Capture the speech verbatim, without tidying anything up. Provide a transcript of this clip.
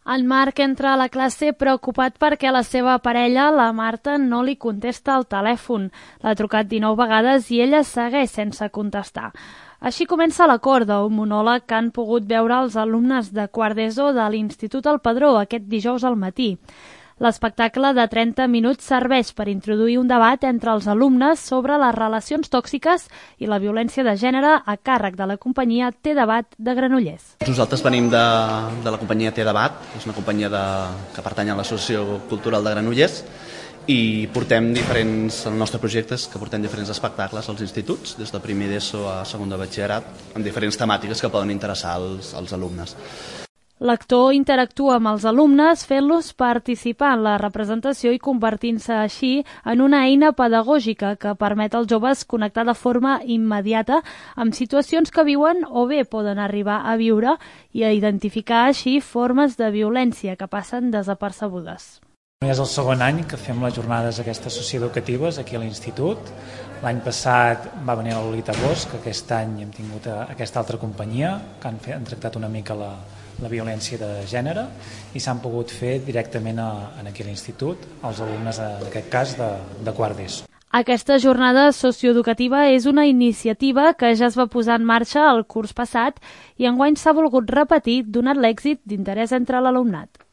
En Marc entra a la classe preocupat perquè la seva parella, la Marta, no li contesta al telèfon. L'ha trucat dinou vegades i ella segueix sense contestar. Així comença la corda, un monòleg que han pogut veure els alumnes de quart d'ESO de l'Institut El Padró aquest dijous al matí. L'espectacle de trenta minuts serveix per introduir un debat entre els alumnes sobre les relacions tòxiques i la violència de gènere a càrrec de la companyia Té Debat de Granollers. Nosaltres venim de, de la companyia Té Debat, és una companyia de, que pertany a l'Associació Cultural de Granollers, i portem diferents, el nostre projecte és que portem diferents espectacles als instituts, des de primer d'ESO a segon de batxillerat, amb diferents temàtiques que poden interessar als, als alumnes. L'actor interactua amb els alumnes fent-los participar en la representació i convertint-se així en una eina pedagògica que permet als joves connectar de forma immediata amb situacions que viuen o bé poden arribar a viure i a identificar així formes de violència que passen desapercebudes. És el segon any que fem les jornades aquestes socioeducatives aquí a l'Institut. L'any passat va venir la Lolita Bosch, que aquest any hem tingut aquesta altra companyia que han, fet, han tractat una mica la, la violència de gènere i s'han pogut fer directament a, aquí a l'Institut els alumnes, en aquest cas, de, de quart d'ESO. Aquesta jornada socioeducativa és una iniciativa que ja es va posar en marxa el curs passat i enguany s'ha volgut repetir donat l'èxit d'interès entre l'alumnat.